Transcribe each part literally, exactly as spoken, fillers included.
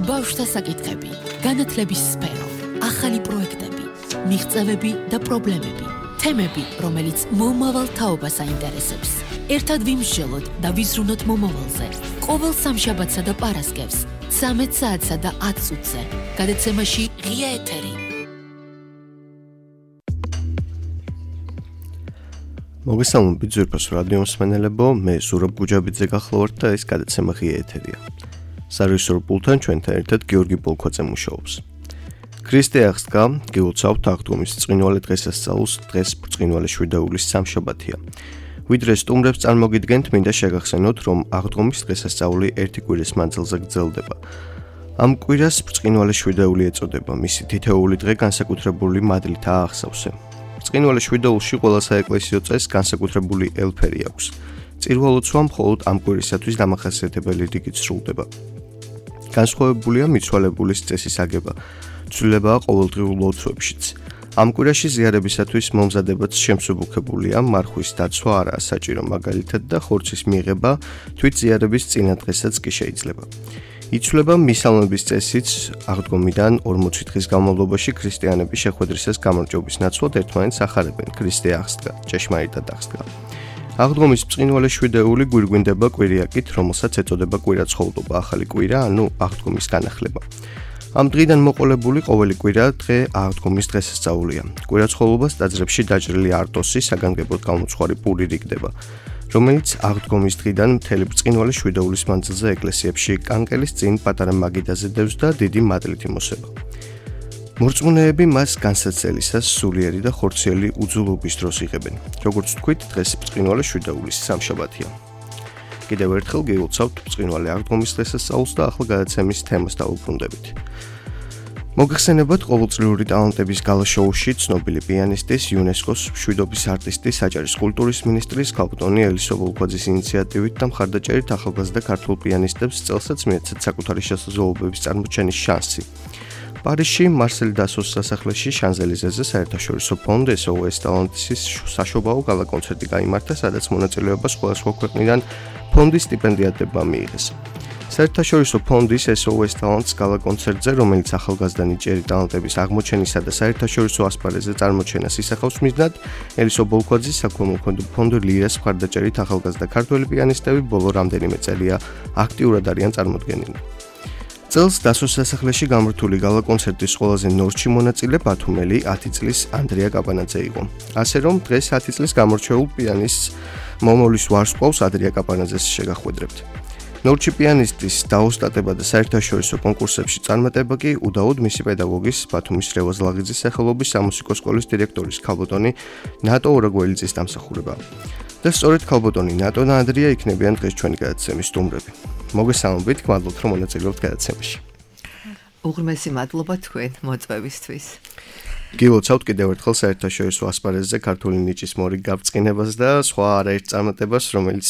ბავშვთა საკითხები, განათლების სფერო, ახალი პროექტები, მიღწევები და პრობლემები, თემები, რომელიც მომავალ თაობას აინტერესებს. ერთად ვიმსჯელოთ და ვიზრუნოთ მომავალზე. ყოველ სამშაბათსა და პარასკევს, ცამეტ საათსა და ათ წუთზე. გადაცემაში ღია ეთერი. მოგესალმებით ძვირფას რადიო მსმენელებო, მე ზურაბ გუჯაბიძე გახლავართ და ეს გადაცემა ღია ეთერია. სარეჟისორო პულტთან ჩვენთან ერთად გიორგი პოლქვაძე მუშაობს. ქრისტე აღსდგა, გილოცავთ აღდგომის ბრწყინვალე დღესასწაულს, დღეს ბრწყინვალე შვიდაულის სამშაბათია. ვიდრე სტუმრებს წარმოგიდგენთ, მინდა შეგახსენოთ, რომ აღდგომის დღესასწაული ერთი კვირის მანძილზე გრძელდება. ამ კვირას ბრწყინვალე შვიდაული ეწოდება, მისი თითოეული დღე განსაკუთრებული მადლითაა აღსავსე. ბრწყინვალე შვიდაულში ყველა საეკლესიო წესს განსაკუთრებული ელფერი აქვს. წირვა ლოცვა მხოლოდ ამ კვირისათვის დამახასიათებელი რიგით სრულდება. განსხვავებულია მიცვალებულის წესის აგება, ცვლილებაა ყოველდღიურ ლოცვებშიც. ამ კვირაში ზიარებისათვის მომზადებაც შემსუბუქებულია, მარხვის დაცვა არაა საჭირო, მაგალითად და ხორცის მიღება თვით ზიარების წინა დღესაც კი შეიძლება. იცვლება მისალმების წესიც, აღდგომიდან ორმოცი დღის განმავლობაში ქრისტიანები შეხვედრისას გამარჯვების ნაცვლად ერთმანეთს ახარებენ, ქრისტე აღსდგა, ჭეშმარიტად აღსდგა. აღდგომის ბრწყინვალე შვიდეული გვირგვინდება კვირიაკით, რომელსაც ეწოდება კვირაცხოვლობა, ახალი კვირა, ანუ აღდგომის განახლება. ამ დღიდან მოყოლებული ყოველი კვირა დღე აღდგომის დღესასწაულია. კვირაცხოვლობას ტაძრებში დაჭრილი არტოსი საგანგებოდ გამოცხარი პური რიგდება, რომელიც აღდგომის დღიდან მთელი ბრწყინვალე შვიდაულის მანძილზე ეკლესიებში კანკელის წინ პატარა მაგიდაზე დევს და დიდი მადლით იმოსება. მორწმუნეები მას განსაცდელისას სულიერი და ხორციელი უძულობის დროს იღებენ. როგორც თქვით, დღეს ბრწყინვალე შვიდაულის სამშაბათია. კიდევ ერთხელ გეულცავთ ბრწყინვალე აღდგომის დღესასწაულს და ახლა გადაცემის თემას დავუბრუნდებით. მოგეხსენებათ ყოველწლიური ტალანტების გალა შოუში ცნობილი პიანისტის, იუნესკოს მშვიდობის არტისტის, საჯარის კულტურის მინისტრის ქალბატონი ელისო ბოლქვაძის ინიციატივით და მხარდაჭერით ახალგაზრდა ქართულ პიანისტებს წელსაც მიეცათ საკუთარი შესაძლებლობების წარმოჩენის შანსი. პარიზში მარსელ დასოს სასახლეში შანზელიზეზე საერთაშორისო ფონდ ეს ო ეს ტალანტის საშობაო გალა კონცერტი გაიმართა, სადაც მონაწილეობა სხვადასხვა ქვეყნიდან ფონდის სტიპენდიატებმა მიიღეს. საერთაშორისო ფონდის ეს ო ეს ტალანტს გალა კონცერტზე, რომელიც ახალგაზრდა ნიჭიერი ტალანტების აღმოჩენისა და საერთაშორისო ასპარეზზე წარმოჩენას ისახავს მიზნად, ელისო ბოლქვაძის საქველმოქმედო ფონდ ლირას მხარდაჭერით ახალგაზრდა ქართველი პიანისტები ბოლო რამდენიმე წელია აქტიურად არიან წარმოდგენილი. წელს დასოს სასახლეში გამართული გალა კონცერტის ყველაზე ნორჩი მონაწილე ბათუმელი ათი წლის ანდრია კაპანაძე იყო. ასე რომ დღეს ათი წლის გამორჩეულ პიანისტს მომავლის ვარსკვლავს ადრია კაპანაძეს შეგახვედრებთ. ნორჩი პიანისტის დაოსტატება და საერთაშორისო კონკურსებში წარმატება კი უდაოდ მისი პედაგოგის ბათუმის რევაზ ლაღიძის სახელობის სამუსიკო სკოლის დირექტორის ქალბატონი ნატო ორაგველიძის დამსახურება. და სწორედ ქალბატონი ნატო და ანდრია იქნებიან დღეს ჩვენი გადაცემის სტუმრები. მოგესალმებით, გმადლობთ რომ მონაწილეობთ გადაცემაში. უღრმესი მადლობა თქვენ მოწვევისთვის. გილოცავთ კიდევ ერთხელ საერთაშორისო ასპარეზზე ქართული ნიჭის მორიგ გაბრწყინებას და სხვა არაერთ წარმატებას, რომელიც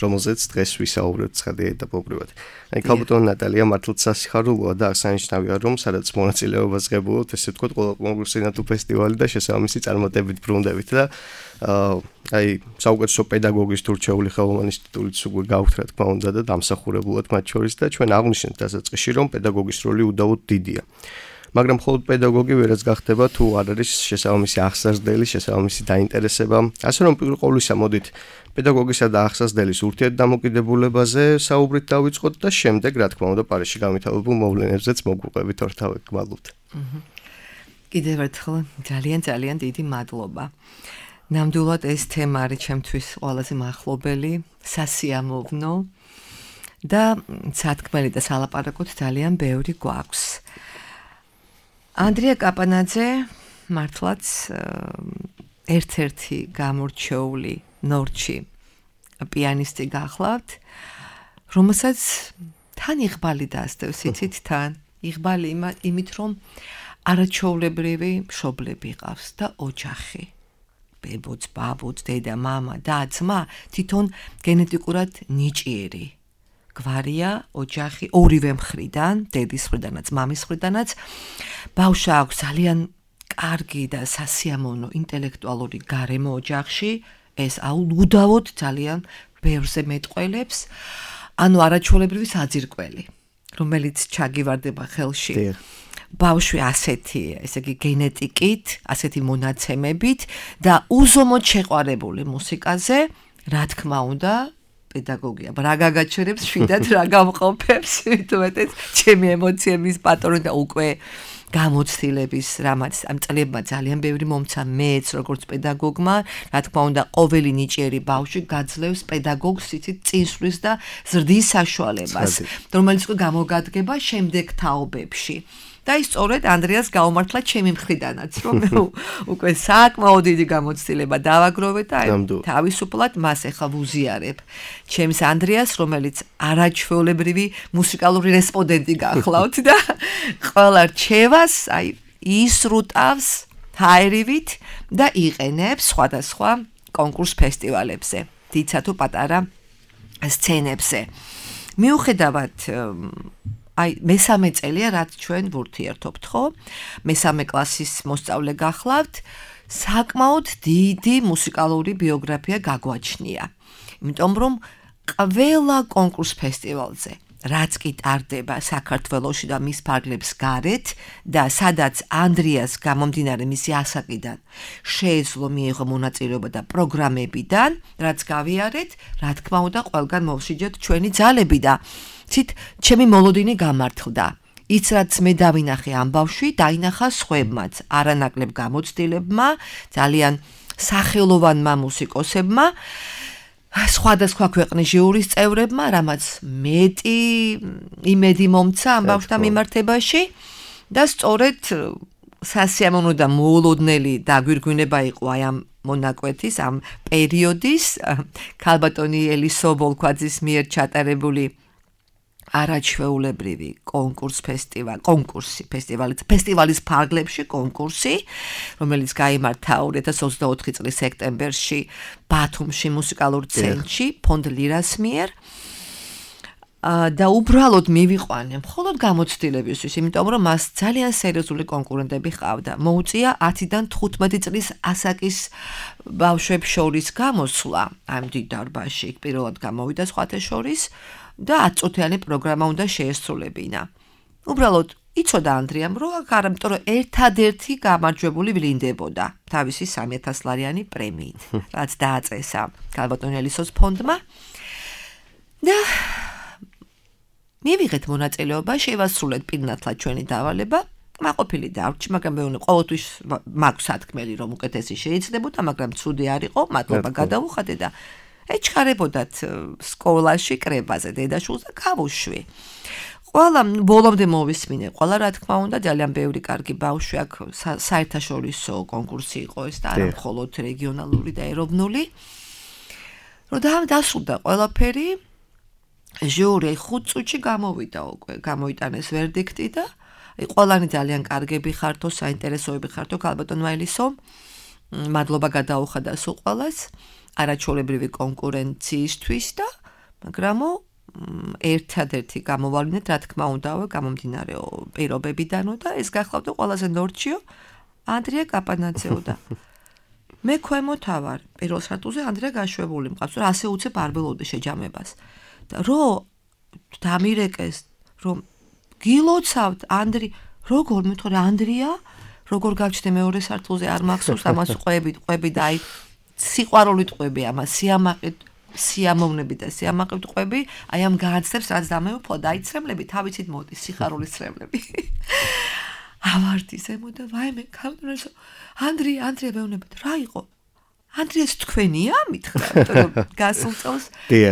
რომელზეც დღეს ვისაუბრებთ ცხადი ეტაპობრივად. აი ქალბატონი ნატალია მართლაც სასიხარულოა და აღსანიშნავია, რომ სადაც მონაწილეობას ღებულობთ, ესე ვთქვათ, ყველა კონკურსი ნატო ფესტივალი და შესაბამისი წარმატებით ბრუნდებით და აი საუკეთესო პედაგოგის თურჩეული ხელოვანის ტიტულიც უკვე გაქვთ, რა თქმა უნდა და დამსახურებულად მათ შორის და ჩვენ აღვნიშნეთ დასაწყისში, რომ პედაგოგის როლი უდაოდ დიდია. მაგრამ მხოლოდ პედაგოგი ვერაც გახდება თუ არ არის შესაბამისი აღსაზრდელი, შესაბამისი დაინტერესება. ასე რომ პირველ ყოვლისა მოდით პედაგოგისა და აღსაზრდელის ურთიერთდამოკიდებულებაზე საუბრით დავიწყოთ და შემდეგ, რა თქმა უნდა, პარიზში გამითავებულ მოვლენებზეც მოგვიყვებით ორთავად. გმადლობთ. კიდევ ერთხელ ძალიან ძალიან დიდი მადლობა. ნამდვილად ეს თემა არის ჩემთვის ყველაზე მახლობელი, სასიამოვნო და სათქმელი და სალაპარაკოთ ძალიან ბევრი გვაქვს. ანდრია კაპანაძე მართლაც ერთ-ერთი გამორჩეული ნორჩი პიანისტი გახლავთ, რომელსაც თან იღბალი დასდევს, იცით თან იღბალი იმით, რომ არაჩვეულებრივი მშობლები ყავს და ოჯახი. ბებოც, ბაბოც, დედა, მამა და ძმა თვითონ გენეტიკურად ნიჭიერი. გვარია, ოჯახი ორივე მხრიდან, დედის მხრიდანაც, მამის მხრიდანაც. ბავშვს აქვს ძალიან კარგი და სასიამოვნო ინტელექტუალური გარემო ოჯახში, ეს უდავოდ ძალიან ბევრზე მეტყველებს, ანუ არაჩვეულებრივი საძირკველი. რომელიც ჩაგივარდება ხელში. ბავშვი ასეთი, ესე იგი გენეტიკით, ასეთი მონაცემებით და უზომოდ შეყვარებული მუსიკაზე, რა თქმა უნდა, პედაგოგია. რა გაგაჩერებს, შვიდად რა გამყოფებს, თუმეტეს ჩემი ემოციების პატრონი და უკვე გამოცდილების რამაც ამ წლებმა ძალიან ბევრი მომცა მეც როგორც პედაგოგმა, რა თქმა უნდა, ყოველი ნიჭიერი ბავშვი გაძლევს პედაგოგს იცით წინსვლის და ზრდის საშუალებას, რომელიც უკვე გამოგადგება შემდეგ თაობებში. და ის სწორედ ანდრიას გაუმართლა ჩემი მხრიდანაც, რომ მე უკვე საკმაოდ დიდი გამოცდილება დავაგროვე და თავისუფლად მას ახლა ვუზიარებ. ჩემს ანდრიას, რომელიც არაჩვეულებრივი მუსიკალური რესპონდენტი გახლავთ და ყველა რჩევას, აი, ისრუტავს ჰაერივით და იყენებს სხვადასხვა კონკურს ფესტივალებზე, თიცა თუ პატარა სცენებზე. მიუხედავად აი მესამე წელია რაც ჩვენ ვურთიერთობთ, ხო? მესამე კლასის მოსწავლე გახლავთ, საკმაოდ დიდი მუსიკალური ბიოგრაფია გაგვაჩნია. იმიტომ რომ ყველა კონკურს ფესტივალზე, რაც კი ტარდება საქართველოში და მის ფარგლებს გარეთ და სადაც ანდრიას გამომდინარე მისი ასაკიდან შეეძლო მიიღო მონაწილეობა და პროგრამებიდან, რაც გავიარეთ, რა თქმა უნდა, ყველგან მოვშიჯეთ ჩვენი ძალები და ცით ჩემი მოლოდინი გამართლდა. ის რაც მე დავინახე ამ ბავშვი, დაინახა სხვებმაც, არანაკლებ გამოცდილებმა, ძალიან სახელოვანმა მუსიკოსებმა, სხვადასხვა ქვეყნის ჟიურის წევრებმა, რამაც მეტი იმედი მომცა ამ ბავშვთან მიმართებაში და სწორედ სასიამოვნო და მოულოდნელი დაგვირგვინება იყო აი ამ მონაკვეთის, ამ პერიოდის ქალბატონი ელისო ვოლქვაძის მიერ ჩატარებული არაჩვეულებრივი კონკურს ფესტივალი, კონკურსი, ფესტივალი, ფესტივალის ფარგლებში კონკურსი, რომელიც გაიმართა ორი ათას ოცდაოთხი წლის სექტემბერში ბათუმში მუსიკალურ ცენტრში, ფონდ ლირას მიერ. და უბრალოდ მივიყვანე მხოლოდ გამოცდილებისთვის, იმიტომ რომ მას ძალიან სერიოზული კონკურენტები ჰყავდა. მოუწია ათიდან თხუთმეტი წლის ასაკის ბავშვებს შორის გამოსვლა ამ დიდ დარბაზში, პირველად გამოვიდა სხვათა შორის და ათწუთიანი პროგრამა უნდა შეესრულებინა. უბრალოდ იცოდა ანდრიამ, რომ აქ არ, იმიტომ რომ ერთადერთი გამარჯვებული ვლინდებოდა თავისი სამი ათას ლარიანი პრემიით, რაც დააწესა ქალბატონ ელისოს ფონდმა. და მივიღეთ მონაწილეობა, შევასრულეთ პირნათლად ჩვენი დავალება. მაყოფილი დავრჩი, მაგრამ მე ვუყო ყოველთვის მაქვს სათქმელი, რომ უკეთესი შეიძლებოდა, მაგრამ ცუდი არ იყო, მადლობა გადავუხადე და ეჩქარებოდათ სკოლაში კრებაზე დედაშულს და გავუშვი. ყველა ბოლომდე მოვისმინე, ყველა რა თქმა უნდა, ძალიან ბევრი კარგი ბავშვი აქ საერთაშორისო კონკურსი იყო ეს და არა მხოლოდ რეგიონალური და ეროვნული. რომ დასრულდა ყველაფერი, ჟიური ხუთ წუთში გამოვიდა უკვე, გამოიტანეს ვერდიქტი და ყველანი ძალიან კარგები ხართო, საინტერესოები ხართო ქალბატონ ელისო. მადლობა გადაუხადა სულ ყველას. არაჩვეულებრივი კონკურენციისთვის და მაგრამ ერთადერთი გამოვავლინეთ, რა თქმა უნდა, გამომდინარე პირობებიდანო და ეს გახლავდა ყველაზე ნორჩიო ანდრია კაპანაძეო და მე ქვემოთ ავარ პირველ სართულზე ანდრია გაშვებული მყავს, რომ ასე უცებ არ ველოდე შეჯამებას და რო დამირეკეს, რომ გილოცავთ ანდრი, როგორ მეთქო ანდრია, როგორ გავჩნდა მეორე სართულზე არ მახსოვს ამას ყვებით, ყვები და აი სიყვარულით ყვები ამას, სიამაყით, სიამოვნები და სიამაყით ყვები, აი ამ განცდებს რაც დამეუფლა და აი ცრემლები თავიცით მოდის, სიხარულის ცრემლები. ავარდი ზემო და ვაიმე, ქალბატონო, ანდრია, ანდრია მეუბნებით, რა იყო? ანდრიას თქვენია, მითხრა, რომ გასულ წელს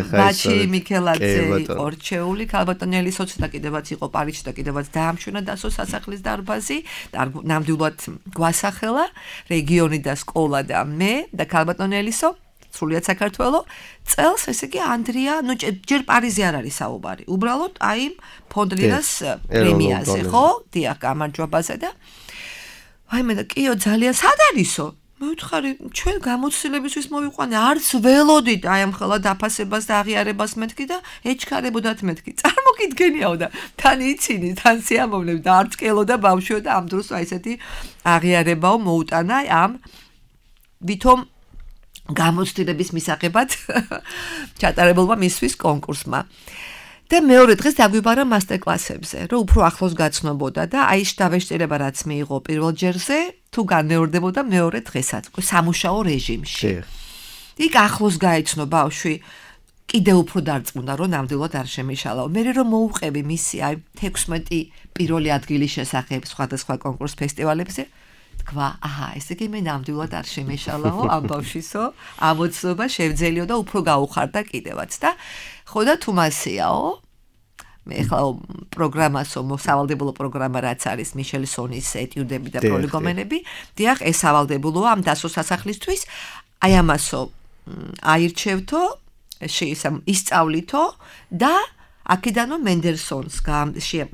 ბაჩი მიქელაძე იყო რჩეული, ქალბატონ ელისოც და კიდევაც იყო პარიზში და კიდევაც დაამშვენა დასო სასახლის დარბაზი და ნამდვილად გვასახელა რეგიონი და სკოლა და მე და ქალბატონ ელისო სრულიად საქართველო წელს, ესე იგი ანდრია, ნუ ჯერ პარიზი არ არის საუბარი, უბრალოდ აი ფონდ ლირას პრემიაზე, ხო? დიახ, გამარჯვებაზე და ვაიმე და კიო ძალიან სად არისო? მე ვთხარი, ჩვენ გამოცდილებისთვის მოვიყვანე, არც ველოდით აი ამ ხელა დაფასებას და აღიარებას მეთქი და ეჩქარებოდათ მეთქი. წარმოგიდგენიაო და თან იცინი, თან სიამოვნებ და არც კელოდა ბავშვიო და ამ დროს აი ესეთი აღიარებაო მოუტანა ამ ვითომ გამოცდილების მისაღებად ჩატარებულმა მისთვის კონკურსმა. და მეორე დღეს დაგვიბარა მასტერკლასებზე, რომ უფრო ახლოს გაცნობოდა და აი შტაბეშტერება რაც მიიღო პირველ ჯერზე, თუ განმეორდებოდა მეორე დღესაც, სამუშაო რეჟიმში. იქ ახლოს გაეცნო ბავშვი, კიდევ უფრო დარწმუნდა, რომ ნამდვილად არ შემიშალაო. მე რომ მოუყევი მისი აი თექვსმეტი პირველი ადგილის შესახებ სხვადასხვა კონკურს ფესტივალებზე, თქვა, აჰა, ესე იგი მე ნამდვილად არ შემეშალაო ამ ბავშვისო, ამოცნობა შევძელიო და უფრო გაუხარდა კიდევაც და ხო და თუ მასიაო მე ხლა პროგრამასო მოსავალდებულო პროგრამა რაც არის მიშელ სონის ეტიუდები და პოლიგონები, დიახ, ეს სავალდებულოა ამ დასო სასახლისთვის, აი ამასო აირჩევთო, ისწავლითო და აქედანო მენდელსონს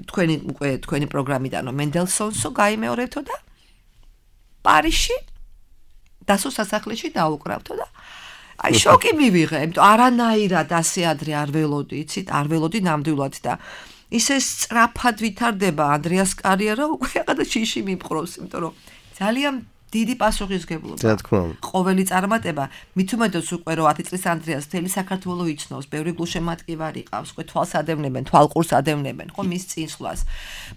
თქვენი უკვე თქვენი პროგრამიდანო მენდელსონსო გაიმეორებთო და პარიზში დასო სასახლეში დაუკრავთო და აი შოკი მივიღე, იმიტომ არანაირად ასე ადრე არ ველოდი, იცით, არ ველოდი ნამდვილად და ისე სწრაფად ვითარდება ანდრიას კარიერა, უკვე რაღაცა შიში მიპყრობს, იმიტომ რომ ძალიან დიდი პასუხისგებლობა. რა თქმა უნდა. ყოველი წარმატება, მით უმეტეს უკვე რომ ათი წლის ანდრიას მთელი საქართველო იცნობს, ბევრი გულშემატკივარი ყავს, უკვე თვალს ადევნებენ, თვალყურს ადევნებენ, ხო მის წინსვლას.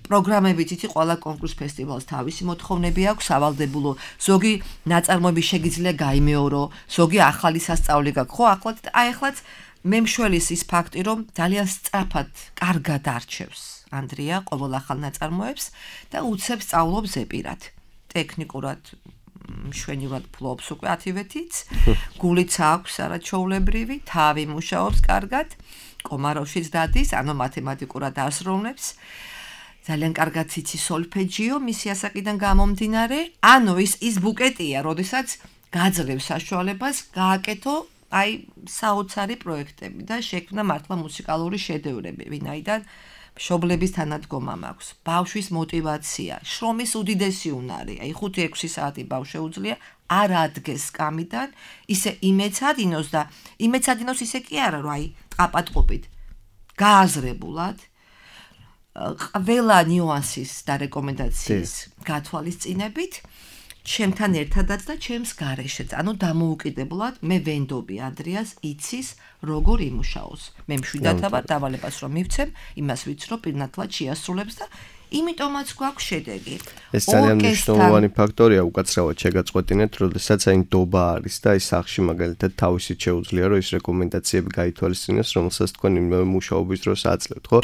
პროგრამებით იცი ყველა კონკურს ფესტივალს თავისი მოთხოვნები აქვს, სავალდებულო. ზოგი ნაწარმოები შეგიძლია გაიმეორო, ზოგი ახალი სასწაული გაქვს. ხო, ახლაც აი ახლაც მე მშველის ის ფაქტი, რომ ძალიან სწრაფად, კარგად არჩევს ანდრია ყოველ ახალ ნაწარმოებს და უცებ სწავლობს ზეპირად. ტექნიკურად მშვენივრად ფლობს უკვე ათივეთიც, გულიც აქვს არაჩვეულებრივი, თავი მუშაობს კარგად, კომაროვშიც დადის, ანუ მათემატიკურად ასრულებს. ძალიან კარგად იცის სოლფეჯიო, მისი ასაკიდან გამომდინარე, ანუ ის ის ბუკეტია, როდესაც გაძლევს საშუალებას გააკეთო აი საოცარი პროექტები და შექმნა მართლა მუსიკალური შედევრები, ვინაიდან მშობლების თანადგომა მაქვს, ბავშვის მოტივაცია, შრომის უდიდესი უნარი, აი ხუთი ექვსი საათი ბავშვს შეუძლია არ ადგეს სკამიდან, ისე იმეცადინოს და იმეცადინოს ისე კი არა, რომ აი ყაპატყობით გააზრებულად ყველა ნიუანსის და რეკომენდაციის გათვალისწინებით ჩემთან ერთადაც და ჩემს გარეშეც, ანუ დამოუკიდებლად მე ვენდობი ანდრიას იცის როგორ იმუშაოს. მე მშვიდად ვარ დავალებას რომ მივცემ, იმას ვიცნობ პირნათლად შეასრულებს და იმიტომაც გვაქვს შედეგი. ეს ძალიან მნიშვნელოვანი ფაქტორია უკაცრავად შეგაწყვეტინეთ, როდესაც აი ნდობა არის და ის სახში მაგალითად თავისით შეუძლია რომ ის რეკომენდაციები გაითვალისწინოს, რომელსაც თქვენ მუშაობის დროს აძლევთ, ხო?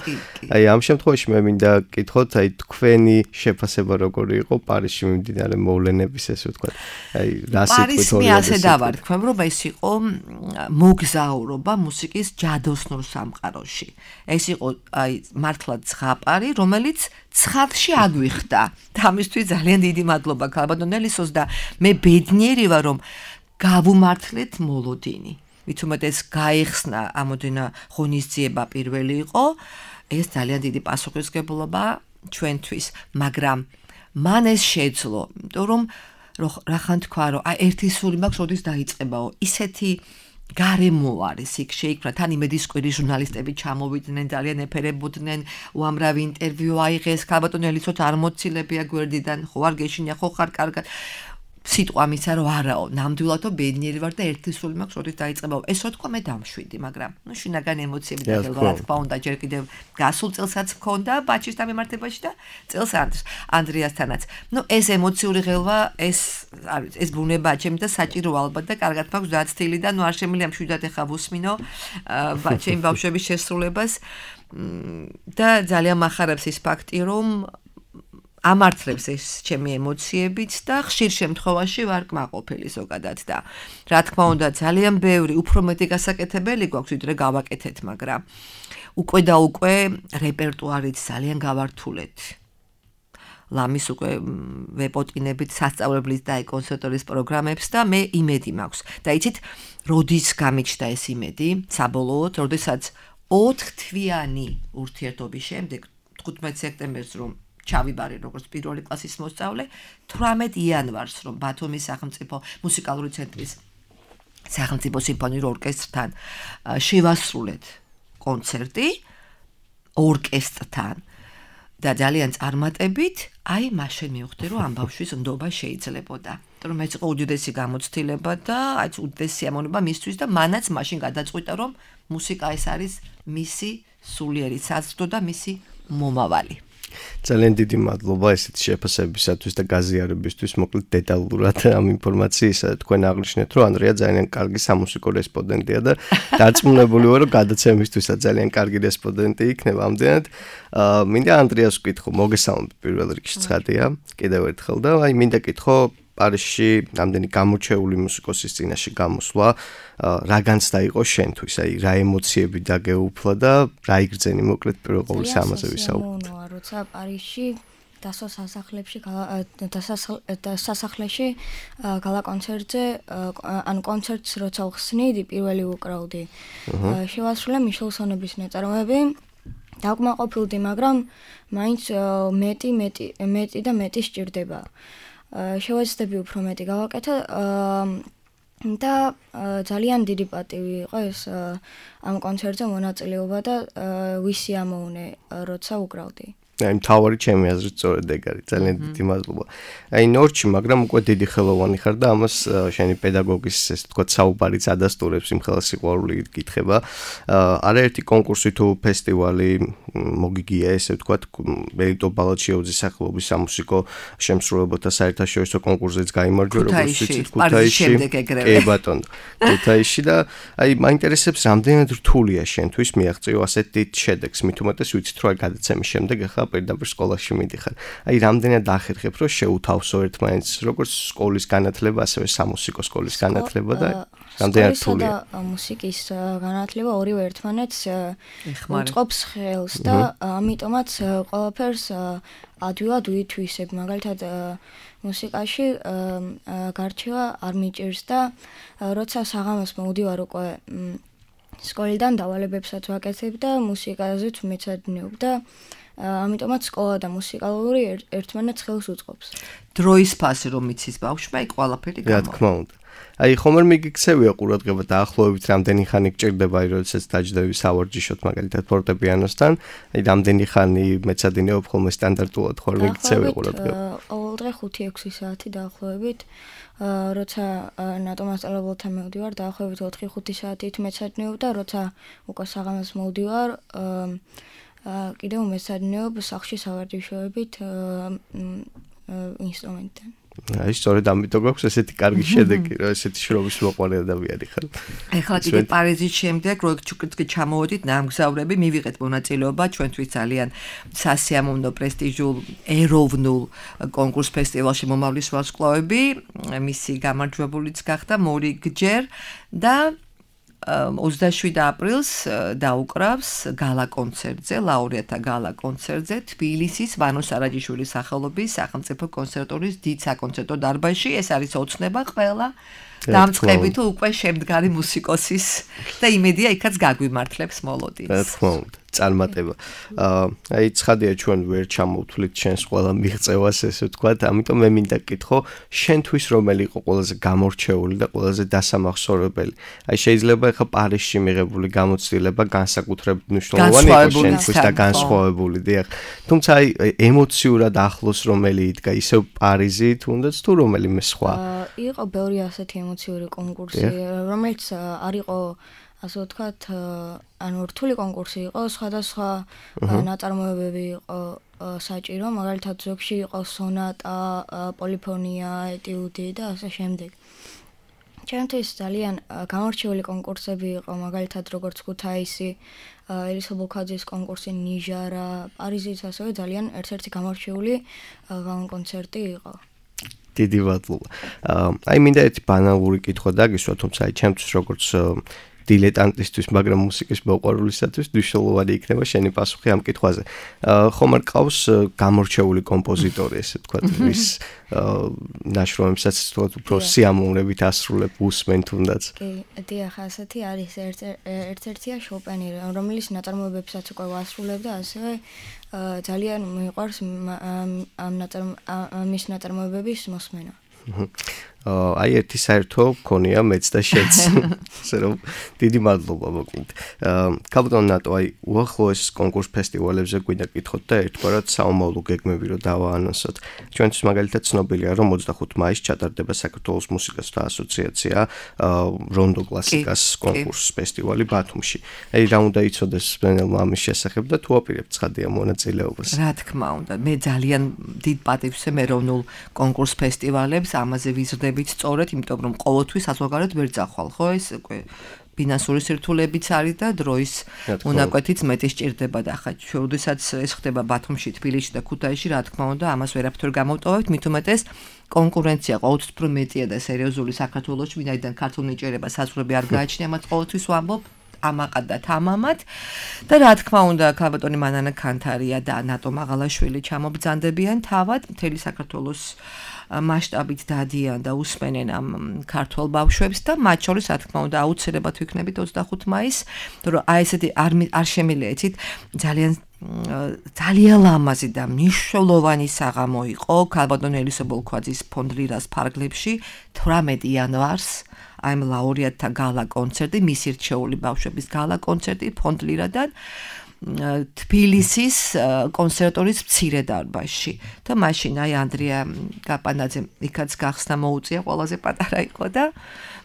აი ამ შემთხვევაში მე მინდა გკითხოთ, აი თქვენი შეფასება როგორი იყო პარიზში მიმდინარე მოვლენების ესე ვთქვათ. აი რა სიტყვით პარიზში ასე დავარქვენ, რომ ეს იყო მოგზაურობა მუსიკის ჯადოსნურ სამყაროში. ეს იყო აი მართლა ზღაპარი, რომელიც ცხადში აგვიხდა. და ამისთვის ძალიან დიდი მადლობა ქალბატონელისოს და მე ბედნიერი ვარ რომ გავუმართლეთ მოლოდინი. მით უმეტეს გაიხსნა ამოდენა ღონისძიება პირველი იყო. ეს ძალიან დიდი პასუხისგებლობა ჩვენთვის, მაგრამ მან ეს შეძლო, იმიტომ რომ რახან თქვა რომ აი ერთი სული მაქვს, როდის დაიწყებაო. ისეთი გარემო არის იქ შეიქმნა თან იმედის კვირის ჟურნალისტები ჩამოვიდნენ, ძალიან ეფერებოდნენ, უამრავი ინტერვიუ აიღეს, ქალბატონელიცოთ არ მოცილებია გვერდიდან, ხო არ გეშინია, ხო ხარ კარგად. სიტყვა მისცა რომ არაო, ნამდვილადო ბედნიერი ვარ და ერთი სული მაქვს, როდის დაიწყებაო. ეს რო თქვა მე დამშვიდი, მაგრამ ნუ შინაგანი ემოციები და რა თქმა უნდა, ჯერ კიდევ გასულ წელსაც მქონდა ბაჩის დამემართებაში და წელს ანდრიასთანაც. ნუ ეს ემოციური ღელვა, ეს არის, ეს ბუნება ჩემი და საჭირო ალბათ და კარგად მაქვს დაცთილი და ნუ არ შემიძლია მშვიდად ეხა ვუსმინო ჩემი ბავშვების შესრულებას და ძალიან მახარებს ის ფაქტი, რომ ამართლებს ეს ჩემი ემოციებიც და ხშირ შემთხვევაში ვარ კმაყოფილი ზოგადად და რა თქმა უნდა ძალიან ბევრი უფრო მეტი გასაკეთებელი გვაქვს ვიდრე გავაკეთეთ, მაგრამ უკვე და უკვე რეპერტუარით ძალიან გავართულეთ. ლამის უკვე ვეპოტინებით სასწავლებლის და კონსერვატორიის პროგრამებს და მე იმედი მაქვს. და იცით, როდის გამიჩნდა ეს იმედი, საბოლოოდ, როდესაც ოთხთვიანი ურთიერთობის შემდეგ თხუთმეტ სექტემბერს რომ ჩავიბარე როგორც პირველი კლასის მოსწავლე, თვრამეტ იანვარს რომ ბათუმის სახელმწიფო მუსიკალური ცენტრის სახელმწიფო სიმფონიურ ორკესტრთან შევასრულეთ კონცერტი ორკესტრთან და ძალიან წარმატებით, აი მაშინ მივხვდი რომ ამ ბავშვის ნდობა შეიძლებოდა. რომ ეს იყო უდიდესი გამოცდილება და აი უდიდესი სიამოვნება მისთვის და მანაც მაშინ გადაწყვიტა რომ მუსიკა ეს არის მისი სულიერი საზრდო და მისი მომავალი. ძალიან დიდი მადლობა ესეთ შეფასებისათვის და გაზიარებისთვის. მოკლედ დეტალურად ამ ინფორმაციისა თქვენ აღნიშნეთ, რომ ანდრია ძალიან კარგი სამუსიკო რესპონდენტია და დარწმუნებული ვარ, რომ გადაცემისთვისაც ძალიან კარგი რესპონდენტი იქნება. ამდენად მინდა ანდრიას ვკითხო, მოგესალმებით პირველ რიგში ცხადია, კიდევ ერთხელ და აი მინდა კითხო პარიზში ამდენი გამორჩეული მუსიკოსის წინაშე გამოსვლა რა განცდა იყო შენთვის? აი რა ემოციები დაგეუფლა და რა იგრძენი მოკლედ პირველ ყოვლისა ამაზე ვისაუბროთ. როცა პარიზში დასო სასახლეში სასახლეში გალა კონცერტზე ან კონცერტს როცა ვხსნიდი პირველი უკრავდი. შევასრულე მიშელსონების ნაწარმოები დაკმაყოფილდი, მაგრამ მაინც მეტი მეტი მეტი და მეტი სჭირდება. შევეცდები უფრო მეტი გავაკეთო და ძალიან დიდი პატივი იყო ეს ამ კონცერტზე მონაწილეობა და ვისიამოვნე როცა უკრავდი. აი მთავარი ჩემი აზრით სწორედ ეგ არის. ძალიან დიდი მადლობა. აი ნორჩი, მაგრამ უკვე დიდი ხელოვანი ხარ და ამას შენი პედაგოგის ესე თქვა საუბარიც ადასტურებს იმ ხელა სიყვარული გითხება. არაერთი კონკურსი თუ ფესტივალი მოგიგია ესე თქვა მერიტო ბალაჩიოძის სახელობის სამუსიკო შემსრულებელთა საერთაშორისო კონკურსზეც გაიმარჯვა როგორც ვიცით ქუთაისში. კი ბატონო. ქუთაისში და აი მაინტერესებს რამდენად რთულია შენთვის მიაღწიო ასეთ დიდ შედეგს, მით უმეტეს ვიცით რომ აი გადაცემის შემდეგ ახლა პირდაპირ სკოლაში მიდიხარ. აი რამდენად ახერხებ რომ შეუთავსო ერთმანეთს როგორც სკოლის განათლება, ასევე სამუსიკო სკოლის განათლება და რამდენად რთულია. მუსიკის განათლება ორივე ერთმანეთს უწყობს ხელს და ამიტომაც ყველაფერს ადვილად ვითვისებ. მაგალითად მუსიკაში გარჩევა არ მიჭირს და როცა საღამოს მოვდივარ უკვე სკოლიდან დავალებებსაც ვაკეთებ და მუსიკაზეც მეცადინეობ და ამიტომაც სკოლა და მუსიკალური ერთმანეთს ხელს უწყობს. დროის ფასი რომ იცის ბავშვმა, იქ ყველაფერი გამოვა. რა თქმა უნდა. აი ხომერ მიგიქცევია ყურადღება დაახლოებით რამდენი ხანი გჭირდება აი როდესაც დაჯდები სავარჯიშოთ მაგალითად ფორტეპიანოსთან, აი რამდენი ხანი მეცადინეობ ხოლმე სტანდარტულად ხარ მიგიქცევია ყურადღება. ყოველდღე ხუთი ექვსი საათი დაახლოებით. როცა ნატომასწავლებელთან მოვდივარ, დაახლოებით ოთხი ხუთი საათით მეცადინეობ და როცა უკვე საღამოს მოვდივარ, კიდევ მეცადინეობ სახლში სავარჯიშოებით ინსტრუმენტთან. აი სწორედ ამიტომ გვაქვს ესეთი კარგი შედეგი, რომ ესეთი შრომის მოყვარე ადამიანი ხარ. ეხლა კიდე პარიზის შემდეგ როიქ ჩამოვედით ნამგზავრები, მივიღეთ მონაწილეობა ჩვენთვის ძალიან სასიამოვნო პრესტიჟულ ეროვნულ კონკურს ფესტივალში მომავლის ვარსკვლავები, მისი გამარჯვებულიც გახდა მორიგჯერ და ოცდაშვიდ აპრილს დაუკრავს გალა კონცერტზე, ლაურეატთა გალა კონცერტზე თბილისის ვანო სარაჯიშვილის სახელობის სახელმწიფო კონსერვატორიის დიდ საკონცერტო დარბაზში. ეს არის ოცნება ყველა დამწყები თუ უკვე შემდგარი მუსიკოსის და იმედია იქაც გაგვიმართლებს მოლოდინს. რა თქმა უნდა, წარმატება. აი ცხადია ჩვენ ვერ ჩამოვთვლით შენს ყველა მიღწევას ესე ვთქვათ, ამიტომ მე მინდა გკითხო, შენთვის რომელი იყო ყველაზე გამორჩეული და ყველაზე დასამახსოვრებელი? აი შეიძლება ახლა პარიზში მიღებული გამოცდილება განსაკუთრებით მნიშვნელოვანი იყო შენთვის და განსხვავებული, დიახ. თუმცა აი ემოციურად ახლოს რომელი იდგა, ისევ პარიზი თუნდაც თუ რომელიმე სხვა? იყო ბევრი ასეთი ემოციური კონკურსი, რომელიც არ იყო ასე ვთქვათ, ანუ რთული კონკურსი იყო, სხვადასხვა ნაწარმოებები იყო საჭირო, მაგალითად ზოგში იყო სონატა, პოლიფონია, ეტიუდი და ასე შემდეგ. ჩემთვის ძალიან გამორჩეული კონკურსები იყო, მაგალითად როგორც ქუთაისი, ელისა ბოლქაძის კონკურსი, ნიჟარა, პარიზის ასევე ძალიან ერთ-ერთი გამორჩეული კონცერტი იყო. დიდი მადლობა. აი მინდა ერთი ბანალური კითხვა დაგისვა, თუმცა აი ჩემთვის როგორც დილეტანტისთვის, მაგრამ მუსიკის მოყვარულისათვის მნიშვნელოვანი იქნება შენი პასუხი ამ კითხვაზე. ხომ არ ყავს გამორჩეული კომპოზიტორი, ესე ვთქვათ, ვის ნაშრომებსაც ვთქვათ, უფრო სიამოვნებით ასრულებ უსმენ თუნდაც? კი, დიახ, ასეთი არის ერთ-ერთია შოპენი, რომელიც ნაწარმოებებსაც უკვე ვასრულებ და ასევე ძალიან მიყვარს ამ მის ნაწარმოებების მოსმენა. აი ერთი საერთო გქონია მეც და შენც. ასე რომ დიდი მადლობა მოკლედ. კაპიტან ნატო აი უახლოეს კონკურს ფესტივალებზე გვინდა გკითხოთ და ერთგვარად საომავლო გეგმები რო დავაანონსოთ. ჩვენთვის მაგალითად ცნობილია რომ ოცდახუთი მაისს ჩატარდება საქართველოს მუსიკასთა ასოციაცია რონდო კლასიკას კონკურს ფესტივალი ბათუმში. აი რა უნდა იცოდეს მსმენელმა ამის შესახებ და თუ აპირებთ ცხადია მონაწილეობას. რა თქმა უნდა, მე ძალიან დიდ პატივს ვსვამ ეროვნულ კონკურს ფესტივალებს, ამაზე ვიზრდებით სწორედ, იმიტომ რომ ყოველთვის საზღვარგარეთ ვერ წახვალ, ხო ეს უკვე ფინანსური სირთულეებიც არის და დროის უნაკვეთიც მეტი სჭირდება და ხა როდესაც ეს ხდება ბათუმში, თბილისში და ქუთაისში, რა თქმა უნდა, ამას ვერაფერ გამოვტოვებთ, მით უმეტეს კონკურენცია ყოველთვის უფრო მეტია და სერიოზული საქართველოში, ვინაიდან ქართულ ნიჭიერება საზღვრები არ გააჩნია, მას ყოველთვის ვამბობ ამაყად და თამამად და რა თქმა უნდა ქალბატონი მანანა ქანთარია და ნატო მაღალაშვილი ჩამობრძანდებიან თავად მთელი საქართველოს მასშტაბით დადიან და უსმენენ ამ ქართულ ბავშვებს და მათ შორის რა თქმა უნდა აუცილებლად ვიქნებით ოცდახუთი მაისს, რომ აი ესეთი არ არ შემიძლია ძალიან ძალიან ლამაზი და მნიშვნელოვანი საღამო იყო ქალბატონ ელისო ბოლქვაძის ფონდ ლირას ფარგლებში თვრამეტი იანვარს აი ამ ლაურეატთა გალა კონცერტი, მისი რჩეული ბავშვების გალა კონცერტი ფონდ ლირადან თბილისის კონსერვატორიის მცირე დარბაზში და მაშინ აი ანდრია გაპანაძემ იქაც გახსნა მოუწია, ყველაზე პატარა იყო და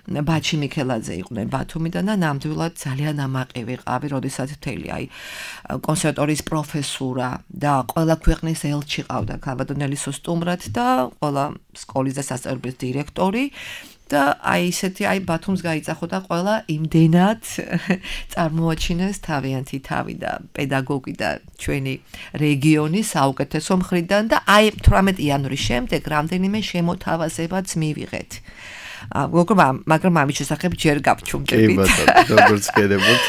ბაჩი მიქელაძე იყვნენ ბათუმიდან და ნამდვილად ძალიან ამაყი ვიყავი, როდესაც მთელი აი კონსერვატორიის პროფესურა და ყველა ქვეყნის ელჩი ყავდა ქალბატონ ელისო სტუმრად და ყველა სკოლის და სასწავლებლის დირექტორი და აი ისეთი აი ბათუმს გაიწახო და ყველა იმდენად წარმოაჩინეს თავიანთი თავი და პედაგოგი და ჩვენი რეგიონი საუკეთესო მხრიდან და აი თვრამეტი იანვრის შემდეგ რამდენიმე შემოთავაზებაც მივიღეთ. მაგრამ მაგრამ ამის შესახებ ჯერ გავჩუმდებით. კი ბატონო, როგორც გედებოთ.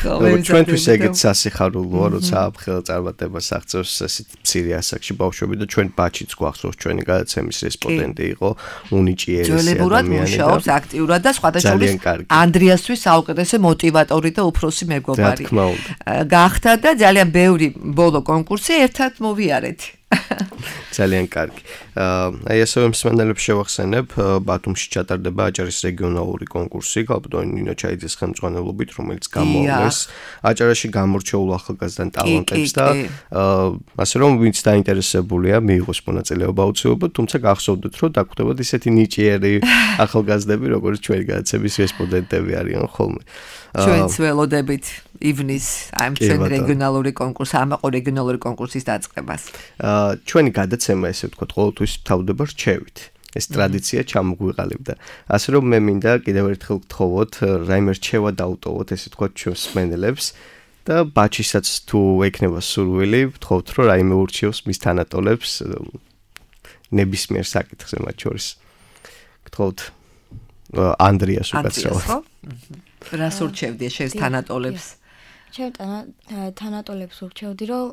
როგორც ჩვენთვის ეგეც სასიხარულოა, როცა აფხელ წარმატებას აღწევს ესეთ მცირე ასაკში ბავშვები და ჩვენ ბაჩიც გვახსოვს ჩვენი გადაცემის რესპონდენტი იყო უნიჭიერესი ადამიანი. ძველებურად მუშაობს აქტიურად და სხვადასხვა ანდრიასთვის საუკეთესო მოტივატორი და უფროსი მეგობარი. გახდა და ძალიან ბევრი ბოლო კონკურსი ერთად მოვიარეთ. ძალიან კარგი. აი ასევე მსმენელებს შევახსენებ, ბათუმში ჩატარდება აჭარის რეგიონალური კონკურსი, ქალბატონ ნინო ჩაიძის ხელმძღვანელობით, რომელიც გამოავლეს აჭარაში გამორჩეულ ახალგაზრდა ტალანტებს და ასე რომ ვინც დაინტერესებულია, მიიღოს მონაწილეობა აუცილებლად, თუმცა გახსოვდეთ, რომ დაგვხვდებათ ისეთი ნიჭიერი ახალგაზრდები, როგორც ჩვენი გადაცემის რესპონდენტები არიან ხოლმე. ჩვენც ველოდებით ივნის ამ ჩვენ რეგიონალური კონკურსს, ამაყო რეგიონალური კონკურსის დაწყებას. ჩვენი გადაცემა ესე ვთქვათ, ყოველთვის თავდება რჩევით. ეს ტრადიცია ჩამოგვიყალიბდა. ასე რომ მე მინდა კიდევ ერთხელ გთხოვოთ, რაიმე რჩევა დაუტოვოთ, ესე ვთქვათ, ჩვენს მსმენელებს და ბაჩისაც თუ ექნება სურვილი, ვთხოვთ, რომ რაიმე ურჩიოს მის თანატოლებს ნებისმიერ საკითხზე მათ შორის. გთხოვთ ანდრიას უკაცრავად. რას ურჩევდი შენს თანატოლებს? ჩემ თანატოლებს ურჩევდი, რომ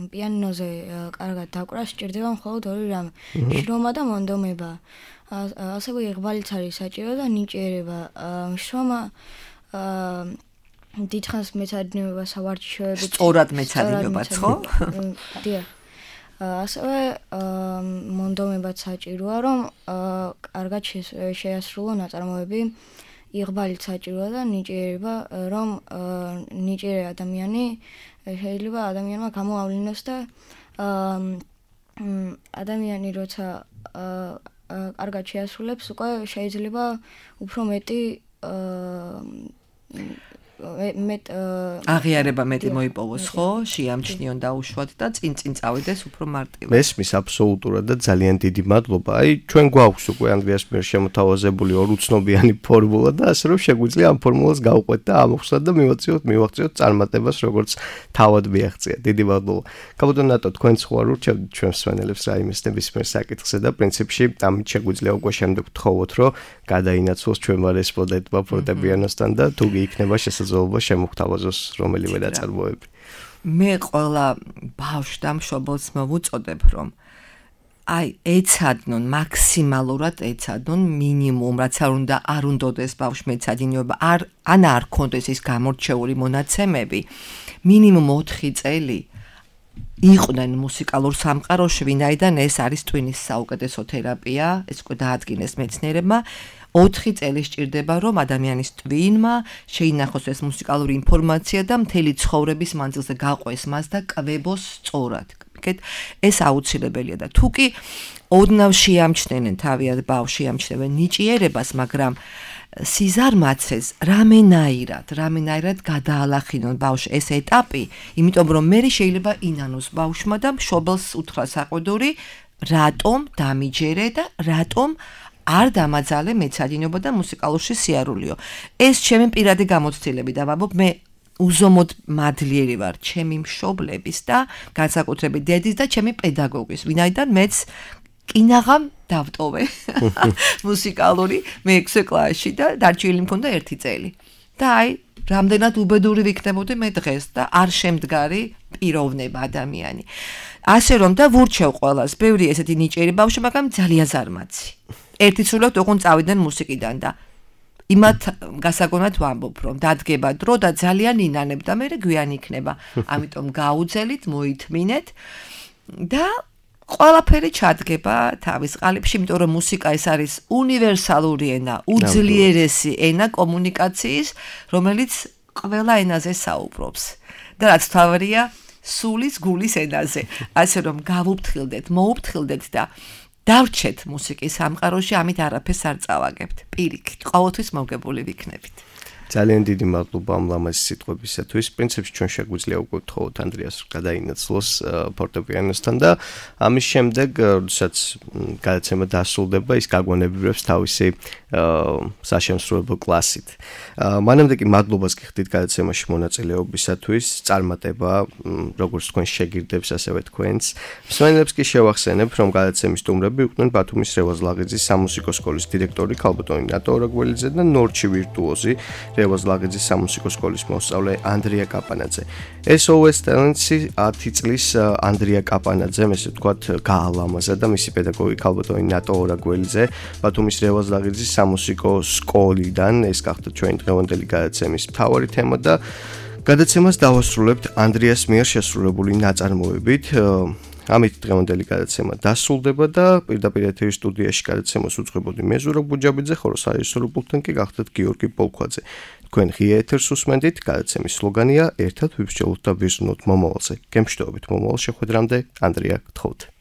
პიანინოზე კარგად დაკვრა სჭირდება მხოლოდ ორი რამე: შრომა და მონდომება. ასევე იღბალიც არის საჭირო და ნიჭიერება. შრომა დიდხანს მეცადინეობა სავარჯიშოებით. სწორად მეცადინეობაც, ხო? დიახ. ასევე მონდომებაც საჭიროა, რომ კარგად შეასრულო ნაწარმოები. იღბალიც საჭიროა და ნიჭიერება, რომ ნიჭიერი ადამიანი შეიძლება ადამიანმა გამოავლინოს და ადამიანი როცა კარგად შეასრულებს, უკვე შეიძლება უფრო მეტი მეტ აღიარება მეტი მოიპოვოს, ხო? შეამჩნიონ დაუშვათ და წინ-წინ წავიდეს უფრო მარტივად. მესმის აბსოლუტურად და ძალიან დიდი მადლობა. აი ჩვენ გვაქვს უკვე ანდრიას მიერ შემოთავაზებული ორ უცნობიანი ფორმულა და ასე რომ შეგვიძლია ამ ფორმულას გავყვეთ და ამოხსნათ და მივაწიოთ, მივაღწიოთ წარმატებას, როგორც თავად მიაღწია. დიდი მადლობა. ქალბატონ ნატო, თქვენ სხვა ურჩევთ ჩვენ მსმენელებს რაიმეს ნებისმიერ საკითხზე და პრინციპში ამით შეგვიძლია უკვე შემდეგ ვთხოვოთ, რომ გადაინაცვლოს ჩვენმა რესპონდენტმა ფორტეპიანოსთან და თუ იქნება შესაძლებლობა შემოგთავაზოს რომელიმე ნაწარმოები. მე ყველა ბავშვს და მშობელს მოვუწოდებ, რომ აი ეცადნონ, მაქსიმალურად ეცადნონ მინიმუმ, რაც არ უნდა არ უნდადეს ბავშვს მეცადინეობა, არ ან არ ქონდეს ის გამორჩეული მონაცემები, მინიმუმ ოთხი წელი იყვნენ მუსიკალურ სამყაროში, ვინაიდან ეს არის ტვინის საუკეთესო თერაპია, ეს უკვე დაადგინეს მეცნიერებმა. ოთხი წელი სჭირდება, რომ ადამიანის ტვინმა შეინახოს ეს მუსიკალური ინფორმაცია და მთელი ცხოვრების მანძილზე გაყვეს მას და კვებოს სწორად. ეს აუცილებელია და თუ კი ოდნავ შეამჩნენენ თავიანთ ბავშვს, შეამჩნევენ ნიჭიერებას, მაგრამ სიზარმაცეს რამენაირად, რამენაირად გადაალახინონ ბავშვს ეს ეტაპი, იმიტომ რომ მე შეიძლება ინანოს ბავშვმა და მშობელს უთხრა საყვედური, რატომ დამიჯერე და რატომ არ დამაძალე მეცადინობა და მუსიკალურში სიარულიო. ეს ჩემი პირადი გამოცდილები და ვამბობ, მე უზომოდ მადლიერი ვარ ჩემი მშობლების და განსაკუთრებით დედის და ჩემი პედაგოგის, ვინაიდან მეც კინაღამ დავტოვე მუსიკალური მეექვსე კლასში და დარჩენილი მქონდა ერთი წელი. და აი, რამდენად უბედური ვიქნებოდი მე დღეს და არ შემდგარი პიროვნება ადამიანი. ასე რომ და ვურჩევ ყველას, ბევრი ესეთი ნიჭიერი ბავშვი, მაგრამ ძალიან ზარმაცი. ერთი სულოთ ოღონდ წავიდნენ მუსიკიდან და იმათ გასაგონად ვამბობ, რომ დადგება დრო და ძალიან ინანებ და მე გვიან იქნება. ამიტომ გაუძელით, მოითმინეთ და ყველაფერი ჩადგება თავის ყალიბში, იმიტომ რომ მუსიკა ეს არის უნივერსალური ენა, უძლიერესი ენა კომუნიკაციის, რომელიც ყველა ენაზე საუბრობს. და რაც თავარია, სულის გულის ენაზე. ასე რომ გავუფრთხილდეთ, მოუფრთხილდეთ და დავრჩეთ მუსიკის სამყაროში, ამით არაფერს არ წავაგებთ. პირიქით, ყოველთვის მოგებული ვიქნებით. ძალიან დიდი მადლობა ამ ლამაზი სიტყვებისათვის. პრინციპში ჩვენ შეგვიძლია უკვე ვთხოვოთ ანდრიას გადაინაცვლოს ფორტეპიანოსთან და ამის შემდეგ, როდესაც გადაცემა დასრულდება, ის გაგვანებრივებს თავისი საშემსრულებლო კლასით. მანამდე კი მადლობას გიხდით გადაცემაში მონაწილეობისათვის, წარმატება როგორც თქვენ შეგირდებს, ასევე თქვენს. მსმენელებს კი შევახსენებ, რომ გადაცემის სტუმრები იყვნენ ბათუმის რევაზ-ლაღიძის სამუსიკო სკოლის დირექტორი ქალბატონი ნატო ორაგველიძე და ნორჩი ვირტუოზი რევაზ-ლაღიძის სამუსიკო სკოლის მოსწავლე ანდრია კაპანაძე. ეს ო ეს ტალენტსი ათი წლის ანდრია კაპანაძემ, ესე ვთქვათ, გაალამაზა და მისი პედაგოგი ქალბატონი ნატო ორაგველიძე ბათუმის რევაზ-ლაღიძის სამუსიკო სკოლიდან, ეს გახდა ჩვენი დღევანდელი გადაცემის მთავარი თემა და გადაცემას დავასრულებთ ანდრიას მიერ შესრულებული ნაწარმოებით. ამით დღევანდელი გადაცემა დასრულდება და პირდაპირ ეთერის სტუდიაში გადაცემას უძღვებოდი მე ზურაბ გუჯაბიძე, ხოლო სარეჟისორო პულტთან კი გახდათ გიორგი პოლქვაძე. თქვენ ღია ეთერს უსმენდით, გადაცემის სლოგანია ერთად ვიბრჩევლოთ და ვიზრუნოთ მომავალზე. გემშვიდობით მომავალ შეხვედრამდე, ანდრია, გთხოვთ.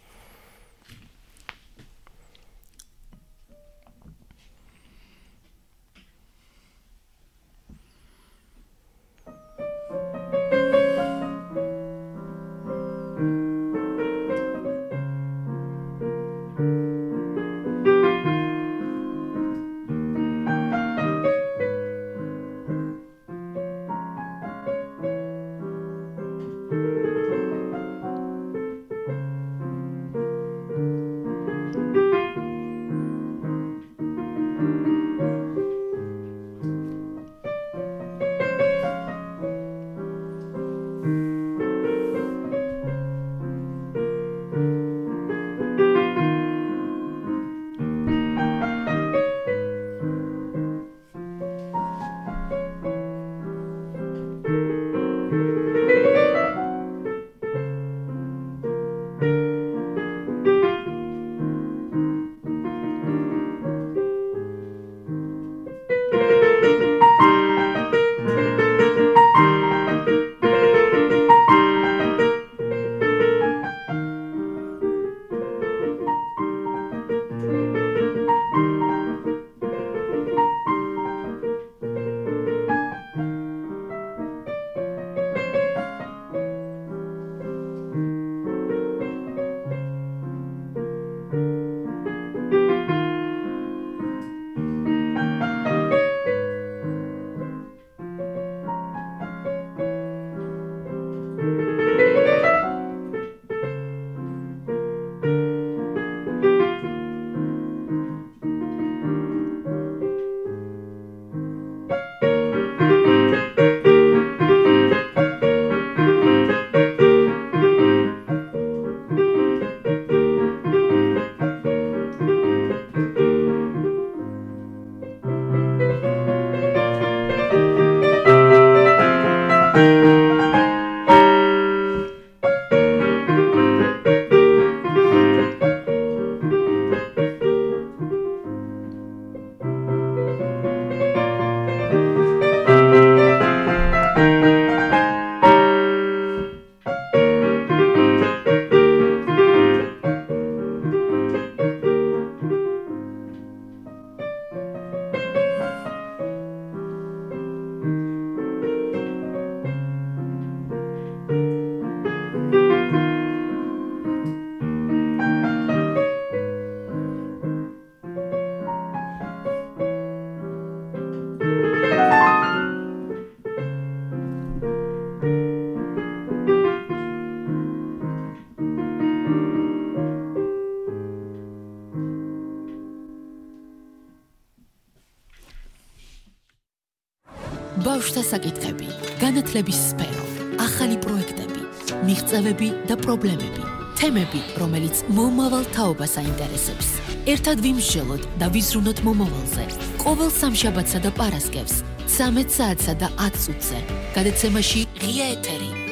ბავშვთა საკითხები, განათლების სფერო, ახალი პროექტები, მიღწევები და პრობლემები, თემები, რომელიც მომავალ თაობას აინტერესებს. ერთად ვიმსჯელოთ და ვიზრუნოთ მომავალზე. ყოველ სამშაბათსა და პარასკევს, ცამეტ საათსა და ათ წუთზე. გადაცემაში ღია ეთერი.